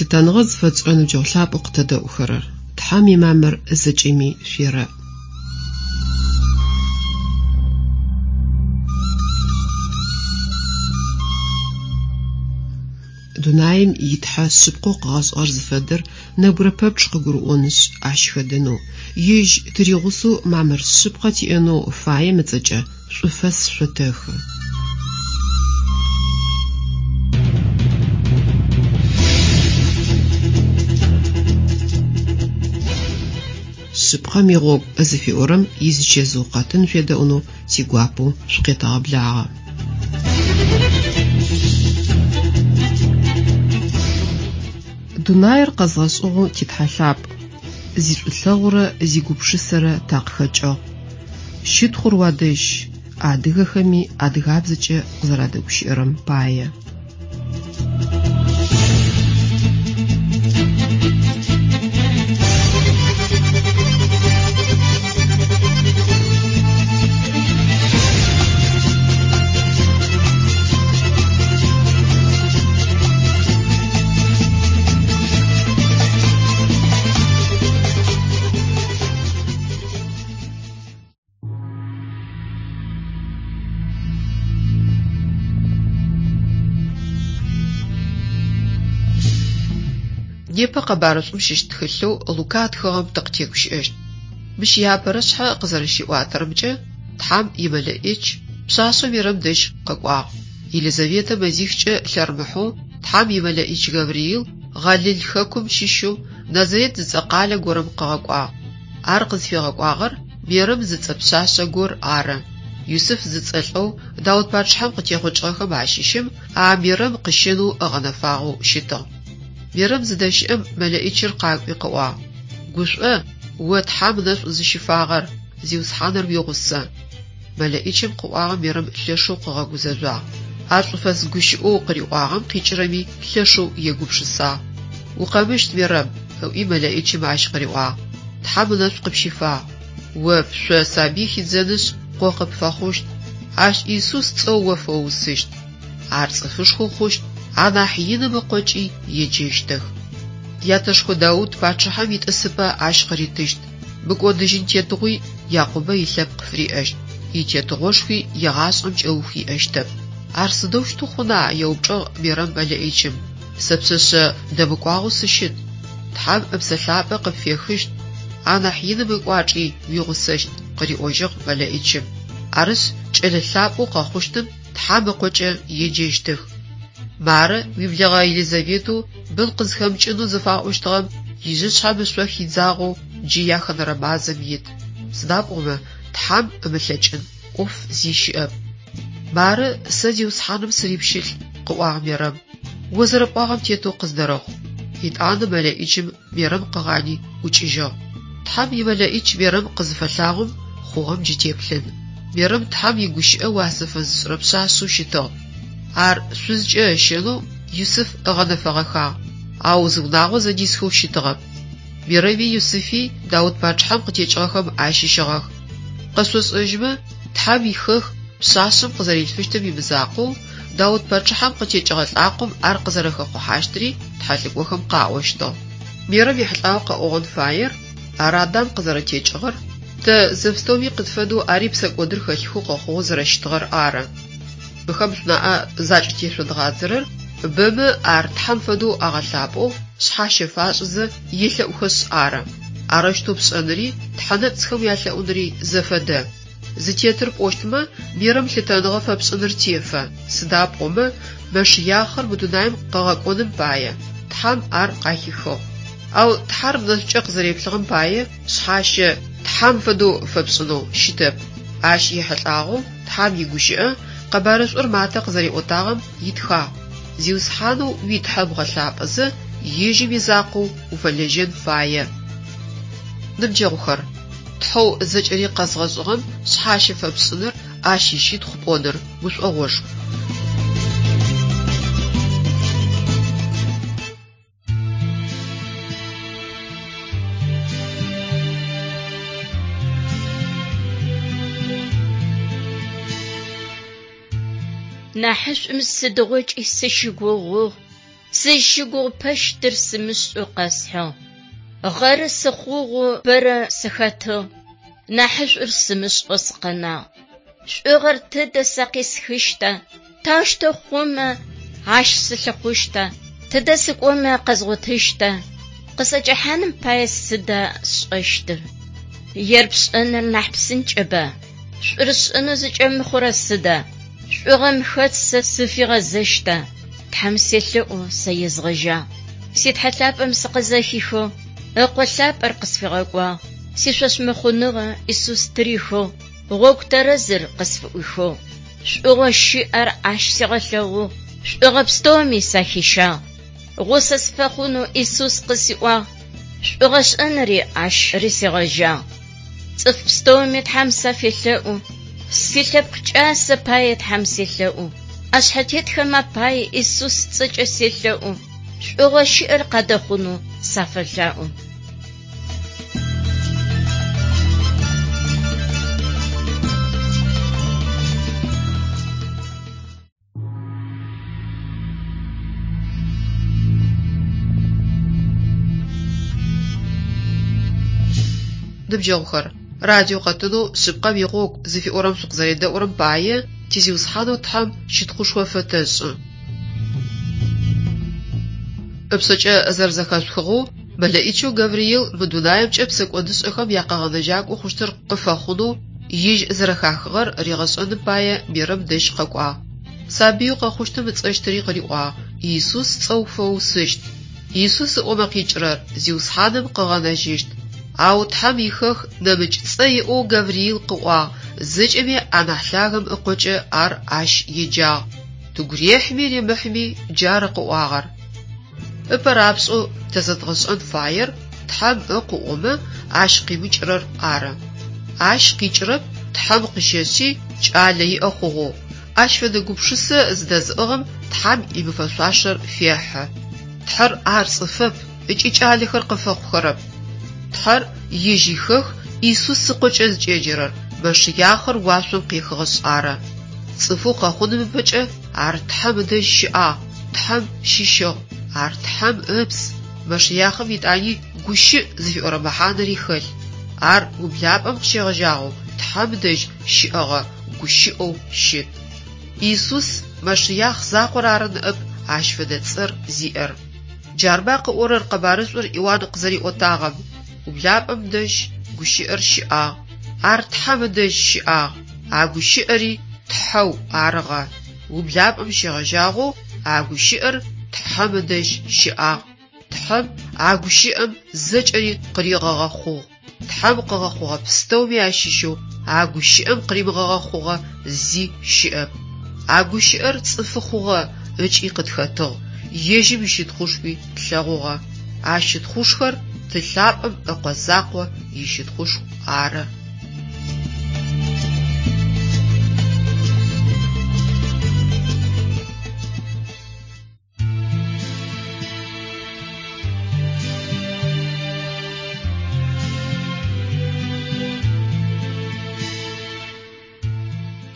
Лъытэныгъэ зыфэтшӏырэ ныбджэгъу лъапӏэу къытэдэӏухэрэр! Тхьэм имамыр зэкӏэми шъуерэӏ. Дунаим и Тхьэ шъыпкъэу къыгъэшӏыгъэр зыфэдэр нэбгырэ пэпчъ къыгурыӏонышъ, ащ хэдэнэу, Ежь тыригъусэу мамыр шъыпкъэ тиӏэнэу фаем ыцӏэкӏэ шӏуфэс шъотэхы. Шъыпкъэм игъогу зыфиӏорэм изычэзыу къэтын шъуедэӏунэу тигуапэу шъукъетэгъэблагъэ. Дунаир къэзгъэшӏыгъэу ти Тхьэ лъапӏ, зишӏулъэгъурэ зигупшысэрэ такъыхэкӏыгъ. Щытхъур уадэжь, адыгэхэми адыгабзэкӏэ къызэрадэгущыӏэрэм пае. Непэ къэбарышӏум щыщ тхылъэу Лука ытхыгъэм тыкъытегущыӏэщт. Мыщ иапэрэ шъхьэ къызэрэщиӏуатэрэмкӏэ, Тхьэм имэлэӏич пшъашъэу Мерэм дэжь къэкӏуагъ. Елизаветэ мэзихкӏэ лъэрымыхьэу Тхьэм имэлэӏич Гавриил Гъалил хэкум щыщэу Назарет зыцӏэ къалэ горэм къыгъэкӏуагъ. Ар къызфигъэкӏуагъэр Мерэм зыцӏэ пшъашъэ гор ары. Юсыф зыцӏэ лӏэу Даут пачъыхьэм къытехъукӏыгъэхэм ащыщым а Мерэм къыщэнэу ыгъэнэфагъэу щытыгъ. Мерэм зыдэщыӏэм мэлэӏичыр къакӏуи къыӏуагъ, Гушӏо, о Тхьэм ынэшӏу зыщыфагъэр, Зиусхьаныр уигъусэ. Мэлэӏичым къыӏуагъэм Мерэм лъэшэу къыгъэгузэжъуагъ. А шӏуфэс гущыӏэу къыриӏуагъэм къикӏырэми лъэшэу егупшысагъ. Укъэмыщт, Мерэм, ыӏуи мэлэӏичым ащ къыриӏуагъ, Тхьэм ынэшӏу къыпщифагъ. О пшъо сабый хидзэнышъ, къо къыпфэхъущт. Ащ Исус цӏэу о фэуусыщт. Ар цӏыфышхо хъущт, анахь Иным Ыкъокӏи еджэщтых. Ятэшхо Даут пачъыхьэм итӏысыпӏэ ащ къыритыщт, мыкӏодыжьын тетыгъуи Якъубэ илъэпкъ фыриӏэщт, итетыгъошхуи егъашӏэм кӏэух иӏэщтэп. Ар сыдэущтэу хъуна? еупчӏыгъ Мерэм мэлэӏичым. Сэ пшъэшъэ дэмыкӏуагъэу сыщыт. Тхьэм Ыпсэ Лъапӏэ къыпфехыщт, анахь Иным ыкӏуачӏи уигъусэщт, къыриӏожьыгъ мэлэӏичым. Арышъ, кӏэлэ лъапӏэу къэхъущтым Тхьэм Ыкъокӏэ еджэщтых. Мары, уиблэгъэ Елизаветэу бын къызхэмыкӏынэу зыфаӏощтыгъэм ижъышъхьэм ышъо хидзагъэу джы яхэнэрэ мазэм ит. Сыда пӏомэ Тхьэм ымылъэкӏын ӏоф зи щыӏэп. Мары, сэ Зиусхьаным сырипщылӏ, къыӏуагъ Мерэм. О зэрэпӏуагъэм тетэу къыздэрэхъу. Етӏанэ мэлэӏичым Мерэм къыгъани ӏукӏыжьыгъ. Тхьэм имэлэӏич Мерэм къызыфэлъагъом, хъугъэм джы теплъын. Мерэм Тхьэм игущыӏэ уасэ фэзышӏырэ пшъашъэу щытыгъ. Ар шъузкӏэ ыщэнэу Юсыф ыгъэнэфэгъэхагъ, ау зы унагъо зэдисхэу щытыгъэп. Мерэми Юсыфи Даут пачъыхьэм къытекӏыгъэхэм ащыщыгъэх. Къэшъошӏэжьмэ, Тхьэм ихэх пшъашъэм къызэрилъфыщтым имызакъоу, Даут пачъыхьэм къытекӏыгъэ лӏакъом ар къызэрэхэхъухьащтри тхьэлӏыкӏохэм къаӏощтыгъ. Мерэм ехьылӏагъэу къэӏогъэн фаер, ар Адам къызэрэтекӏыгъэр, тэ зэпстэуми къытфэдэу ари псэкӏодыр хэлъхэу къэхъугъэу зэрэщытыгъэр ары. Мыхэм шъунаӏэ закӏытешъодгъадзэрэр бэмэ ар Тхьэм фэдэу агъэлъапӏэу, шъхьащэ фашӏызэ елъэӏухэшъ ары. Арэущтэу пшӏэныри тхьэ нэпцӏхэм уялъэӏуныри зэфэдэ. Зытетыр пӏощтмэ, Мерэм лъытэныгъэ фэпшӏыныр тефэ, сыда пӏомэ Мэшыяхъыр мы дунаим къыгъэкӏоным пае, Тхьэм ар къахихыгъ. Ау Тхьэр нэшӏукӏэ къызэреплъыгъэм пае шъхьащэ Тхьэм фэдэу фэпшӏынэу щытэп. Ащ ехьылӏагъэу Тхьэм игущыӏэ Къэбарышӏур Матэ къызэриӏотагъэм итхагъ, Зиусхьанэу уи Тхьэ бгъэлъапӏэзэ, ежьым изакъоу уфэлэжьэн фае. Ныбджэгъухэр, Тхьэу зэкӏэри къэзгъэшӏыгъэм шъхьащэ фэпшӏыныр, ащ ищытхъу пӏоныр гушӏогъошху. Нахьышӏум сыдигъокӏи сыщыгугъугъ. Сызщыгугъыпэщтыр сымышӏэу къэсхьыгъ. Гъэры сыхъугъэу бэрэ сыхэтыгъ, нахьышӏур сымышӏэу сыкъэнагъ. Шӏугъэр тыдэ сэ къисхыщта? Таущтэу хъумэ, ащ сылъыхъущта? Тыдэ сыкӏомэ къэзгъотыщта? Къысӏэкӏэхьаным пае сыда сшӏэщтыр? Ер пшӏэныр нахь псынкӏэба? Шӏур сшӏэнэу зыкӏэмыхъурэр сыда? Шӏугъэм хэт сэ сыфигъэзэщта? Тхьэм селъэӏу сэ езгъэжьагъ. Си Тхьэ лъапӏэм сыкъызэхихэу, Ыкъо лъапӏэр къысфигъэкӏуагъ. Сишӏошъмыхъуныгъэ Исус тырихыгъ, гъогу тэрэзыр къысфыӏуихыгъ. Шӏугъэу щыӏэр ащ сигъэлъэгъугъ, шӏугъэ пстэуми сахищагъ. Гъусэ сыфэхъунэу Исус къысиӏуагъ, шӏугъэ шӏэнри ащ рысигъэжьагъ. Цӏыф пстэуми Тхьэм сафелъэӏу, силъэпкъ кӏасэ пае Тхьэм селъэӏу, ӏэшъхьэтетхэм апае Исус ыцӏэкӏэ селъэӏу, шӏугъэу щыӏэр къадэхъунэу сафэлъаӏо. Ныбджэгъухэр, радио къэтынэу Шъыпкъэм игъогу зыфиӏорэм шъукъызэредэӏурэм пае ти Зиусхьанэу Тхьэм щытхъушхо фэтэшӏы. Ыпшъэкӏэ зэрэзэхэшъухыгъэу, мэлэӏичэу Гавриил мы дунаемкӏэ псэкӏодышӏэхэм якъэгъэнэжьакӏо хъущтыр къыфэхъунэу ежь зэрэхахыгъэр ригъэшӏэным пае Мерэм дэжь къэкӏуагъ. Сабыеу къэхъущтым ыцӏэщтыри къыриӏуагъ: Иисус цӏэу фэусыщт. Иисус ыӏомэ къикӏырэр Зиусхьаным къыгъэнэжьыщт. Ау Тхьэм ихэх нэмыкӏ цӏэ иӏэу Гавриил къыӏуагъ, зэкӏэми анахь лъагэм ыкъокӏэ ар ащ еджагъ. Тыгу рехьми ремыхьми джары къыӏуагъэр. Ыпэ рапшӏэу тэ зэдгъэшӏэн фаер Тхьэм Ыкъу ыӏомэ, ащ къимыкӏырэр ары. Ащ къикӏырэп Тхьэм къыщэшъи кӏалэ иӏэ хъугъэу. Ащ фэдэ гупшысэ зыдэзыӏыгъым Тхьэм имыфэшъуашэр фехьы. Тхьэр ар цӏыфэп ыкӏи кӏалэхэр къыфэхъухэрэп. Тхьэр ежь ихэх Исус ыкъокӏэ зыкӏеджэрэр Мэшыяхъыр уашъом къехыгъэшъ ары. Цӏыфэу къэхъуным ыпэкӏэ ар Тхьэм ыдэжь щыӏагъ, Тхьэм щыщыгъ, ар Тхьэм ыпс. Мэшыяхъым етӏани гущыӏ зыфиӏорэ мэхьанэри хэлъ. Ар ублапӏэм къыщегъэжьагъэу Тхьэм дэжь щыӏэгъэ гущыӏэу щыт. Исус Мэшыяхъ закъор ары ныӏэп ащ фэдэ цӏэр зиӏэр. Джарба къыӏорэр къэбарышӏур Иуан къызэриӏотагъэм, Ублапӏэм дэжь гущыӏэр щыӏагъ, ар Тхьэм ыдэжь щыӏагъ, а гущыӏэри Тхьэу арыгъэ. Ублапӏэм щегъэжьагъэу а гущыӏэр Тхьэм ыдэжь щыӏагъ. Тхьэм а гущыӏэм зэкӏэри къыригъэгъэхъугъ. Тхьэм къыгъэхъугъэ пстэуми ащыщэу а гущыӏэм къыримыгъэгъэхъугъэ зи щыӏэп. А гущыӏэр цӏыфы хъугъэ ыкӏи къытхэтыгъ, ежьым ищытхъушхуи тлъэгъугъэ. А щытхъушхор Ты лъапӏэм Ыкъо закъо ищытхъушху ары.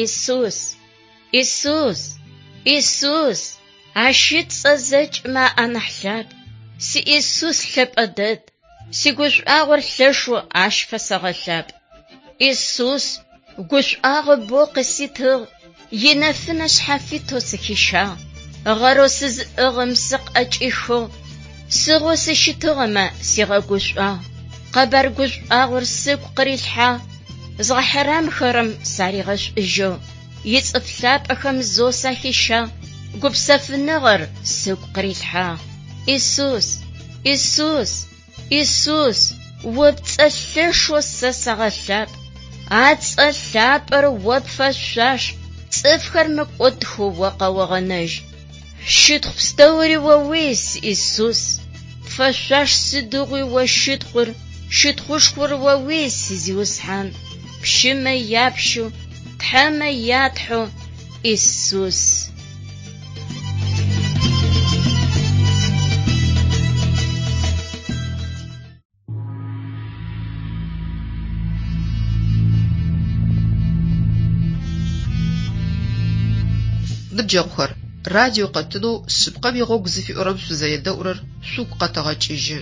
Исус! Исус! Исус! Ащ ыцӏэ зэкӏэмэ анахь лъапӏ. Си Исус лъэпӏэ дэд. Сигушӏуагъор лъэшэу ащ фэсэгъэлъапӏ. Исус гушӏуагъо бэу къыситыгъ, инэфынэ шъхьафитэу сыхищагъ. Гъэрэу сызыӏыгъым сыкъыӏэкӏихыгъ, сыгъэу сыщытыгъэмэ сигъэгушӏуагъ. Къэбар гушӏуагъор сыгу къырилъхьагъ, зыгъэхьарамхэрэм саригъэшӏужьыгъ. Ицӏыф лъапӏэхэм зэу сахищагъ, гупсэфыныгъэр сыгу къырилъхьагъ. Исус! Исус! Исус! О пцӏэ лъэшэу сэ сэгъэлъапӏ. А цӏэ лъапӏэр о пфэшъуаш, цӏыфхэр мыкӏодхэу о къэогъэнэжь. Щытхъу пстэури оуий, си Исус. Пфэшъуаш сыдигъуи о щытхъур, щытхъушхор оуий, си Зиусхьан, пщымэ япщэу, тхьэмэ ятхьэу Исус. Ныбджэгъухэр! Радио къэтынэу Шъыпкъэм игъогу зыфиӏорэм шъузэредэӏурэр шъугу къэтэгъэкӏыжьы.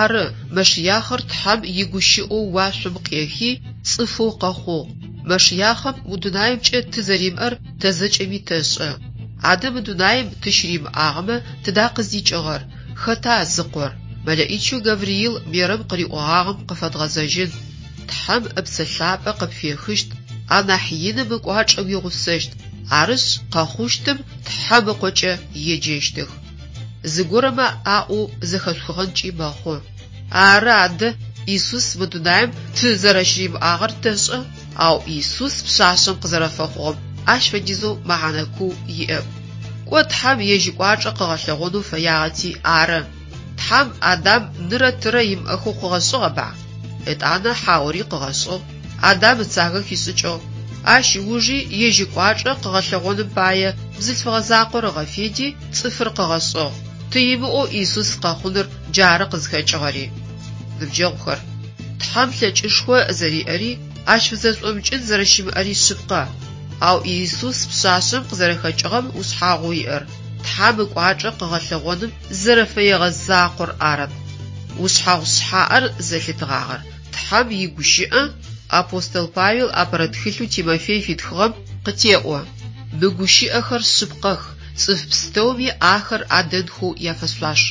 Ары, Мэшыяхъыр Тхьэм игущыӏэу уашъом къехи, цӏыфэу къэхъугъ. Мэшыяхъым мы дунаимкӏэ ты зэримыӏэр тэ зэкӏэми тэшӏэ. Адэ мы дунаим ты щыримыӏагъэмэ, тыда къыздикӏыгъэр? Хэта зыкъор? Мэлэӏичэу Гавриил Мерэм къыриӏогъагъэм къыфэдгъэзэжьын. Тхьэм Ыпсэ Лъапӏэ къыпфехыщт, анахь Иным ыкӏуачӏэ уигъусэщт, арышъ, къэхъущтым Тхьэм Ыкъокӏэ еджэщтых. Зыгорэмэ аӏоу зэхэшъухыгъэнкӏи мэхъу. Ары адэ, Исус мы дунаим ты зэрэщыримыӏагъэр тэшӏэ, ау Исус пшъашъэм къызэрэфэхъугъэм ащ фэдизэу мэхьанэ куу иӏэп. Кӏо Тхьэм ежь ыкӏуачӏэ къыгъэлъэгъонэу фэягъэти ары. Тхьэм Адам нырэ тырэ имыӏэхэу къыгъэшӏыгъэба? Етӏанэ Хьаори къыгъэшӏыгъ, Адам ыцагэ хишӏыкӏыгъ. Ащ ыужи ежь ыкӏуачӏэ къыгъэлъэгъоным пае бзылъфыгъэ закъор ыгъэфеди, цӏыфыр къыгъэшӏыгъ. Ты имыӏэу Исус къэхъуныр джары къызхэкӏыгъэри. Ныбджэгъухэр, Тхьэм лъэкӏышхо зэриӏэри, ащ фызэшӏомыкӏын зэрэщымыӏэри шъыпкъэ. Ау Исус пшъашъэм къызэрэхэкӏыгъэм ушъхьагъоу иӏэр, Тхьэм ыкӏуачӏэ къыгъэлъэгъоным зэрэфэегъэ закъор арэп. Ушъхьагъу шъхьаӏэр зэлъытыгъагъэр Тхьэм игущыӏэ апостол Павел апэрэ тхылъэу Тимофей фитхыгъэм къытеӏо. Мы гущыӏэхэр шъыпкъэх, цӏыф пстэуми ахэр адэнхэу яфэшъуаш.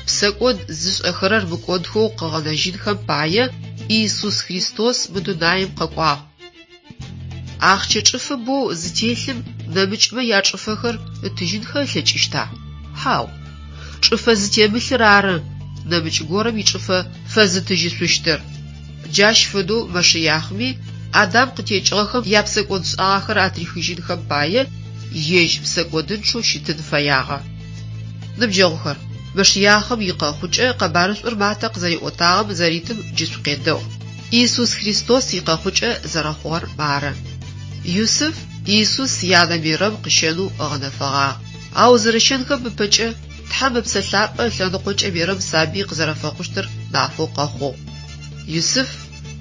Псэкӏод зышӏэхэрэр мыкӏодхэу къыгъэнэжьынхэм пае Иисус Христос мы дунаим къэкӏуагъ. Ахъщэ чӏыфэ боу зытелъым нэмыкӏмэ ячӏыфэхэр ытыжьынхэ ылъэкӏыщта? Хьау. Чӏыфэ зытемылъыр ары нэмыкӏ горэм ичӏыфэ фэзытыжьышъущтыр. Джащ фэдэу Мэшыяхъми Адам къытекӏыгъэхэм япсэкӏодшӏагъэхэр атрихыжьынхэм пае ежь псэкӏодынчъэу щытын фэягъэ. Ныбджэгъухэр, Мэшыяхъым икъэхъукӏэ къэбарышӏур Матэ къызэриӏотагъэм зэритым джы шъукъедэӏу. Иисус Христос икъэхъукӏэ зэрэхъугъэр мары. Юсыф Иисус янэ Мерэм къыщэнэу ыгъэнэфэгъагъ. Ау зэрэщэнхэм ыпэкӏэ Тхьэм Ыпсэ Лъапӏэ ылъэныкъокӏэ Мерэм сабый къызэрэфэхъущтыр нафэу къэхъугъ. Юсыф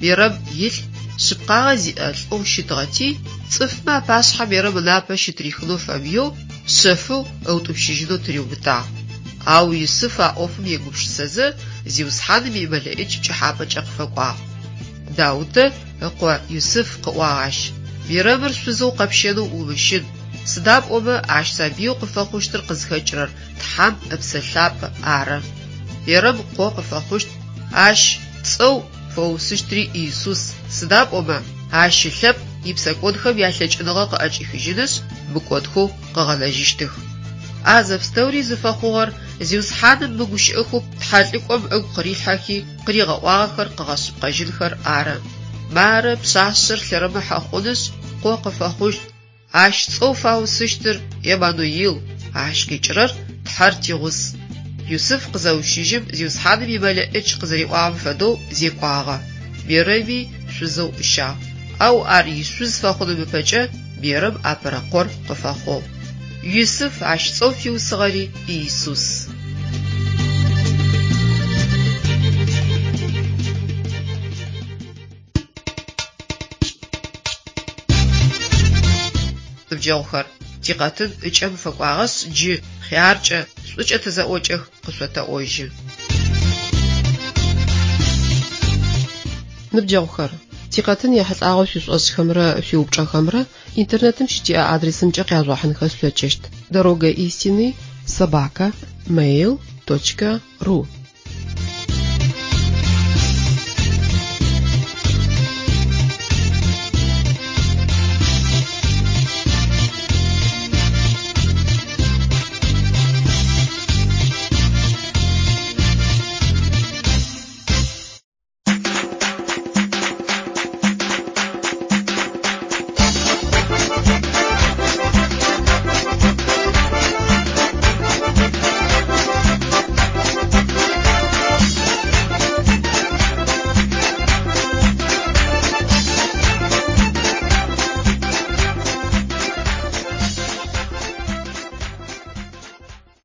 Мерэм илӏ шъыпкъагъэ зиӏэ лӏэу щытыгъэти, цӏыфмэ апашъхьэ Мерэм ынапэ щытырихынэу фэмыеу, шъэфэу ыутӏупщыжьынэу тыриубытагъ. Ау Юсыф а ӏофым егупшысэзэ, Зиусхьаным и Мэлэӏич пкӏыхьапӏэкӏэ къыфэкӏуагъ. Даутэ ыкъо Юсыф къыӏуагъ ащ, Мерэмыр шъузэу къэпщэнэу умыщын, сыда пӏомэ ащ сабыеу къыфэхъущтыр къызхэкӏырэр Тхьэм Ыпсэ Лъапӏэ ары. Мерэм къо къыфэхъущт, ащ цӏэу фэусыщтри Иисус, сыда пӏомэ ащ ылъэпкъ ипсэкӏодхэм ялъэкӏыныгъэ къыӏэкӏихыжьынышъ, мыкӏодхэу къыгъэнэжьыщтых. А зэпстэури зыфэхъугъэр Зиусхьаным мы гущыӏэхэу тхьэлӏыкӏом ыгу къырилъхьэхи къыригъэӏуагъэхэр къыгъэшъыпкъэжьынхэр ары. Мары пшъашъэр лъэрымыхьэ хъунышъ, къо къыфэхъущт, Ащ цӏэу фаусыщтыр Еммануил, ащ къикӏырэр Тхьэр тигъус. Юсыф къызэущыжьым, Зиусхьаным и Мэлэӏич къызэриӏуагъэм фэдэу зекӏуагъэ. Мерэми шъузэу ыщагъ. Ау ар ишъуз фэхъуным ыпэкӏэ Мерэм апэрэ къор къыфэхъугъ. Юсыф ащ цӏэу фиусыгъэри Иисус. Ныбджэгъухэр, тикъэтын ыкӏэм фэкӏуагъэшъ, джы хъяркӏэ, шӏукӏэ тызэӏокӏэх къышъотэӏожьы. Ныбджэгъухэр, тикъэтын ехьылӏагъэу шъуишӏошӏхэмрэ шъуиупчӏэхэмрэ интернетым щытиӏэ адресымкӏэ къяжъугъэхьынхэ шъулъэкӏыщт: Дорога истины собака mail точка ru.